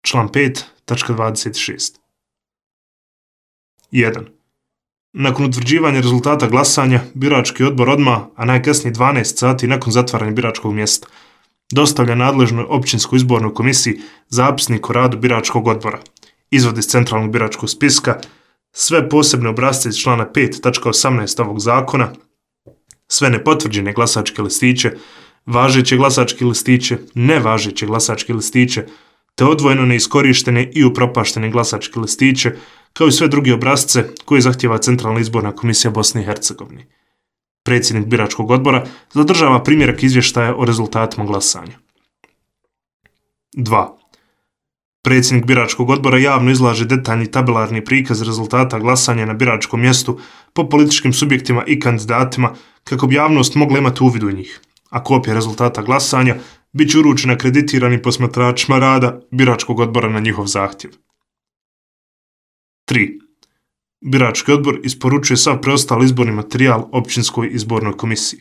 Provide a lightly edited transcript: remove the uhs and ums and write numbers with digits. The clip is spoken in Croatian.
član 5, tačka 26. 1. Nakon utvrđivanja rezultata glasanja, birački odbor odmah, a najkasnije 12 sati nakon zatvaranja biračkog mjesta, dostavlja nadležnoj općinskoj izbornoj komisiji zapisnik o radu biračkog odbora, izvod iz centralnog biračkog spiska, sve posebne obrasce iz člana 5, tačka 18 ovog zakona, sve nepotvrđene glasačke listiće, važeće glasačke listiće, nevažeće glasačke listiće, te odvojeno neiskorištene i upropaštene glasačke listiće, kao i sve druge obrasce koje zahtjeva Centralna izborna komisija Bosne i Hercegovine. Predsjednik biračkog odbora zadržava primjerak izvještaja o rezultatima glasanja. 2. Predsjednik biračkog odbora javno izlaže detaljni tabelarni prikaz rezultata glasanja na biračkom mjestu po političkim subjektima i kandidatima kako bi javnost mogla imati uvid u njih, a kopija rezultata glasanja bit će uručena akreditiranim posmatračima rada biračkog odbora na njihov zahtjev. 3. Birački odbor isporučuje sav preostali izborni materijal općinskoj izbornoj komisiji.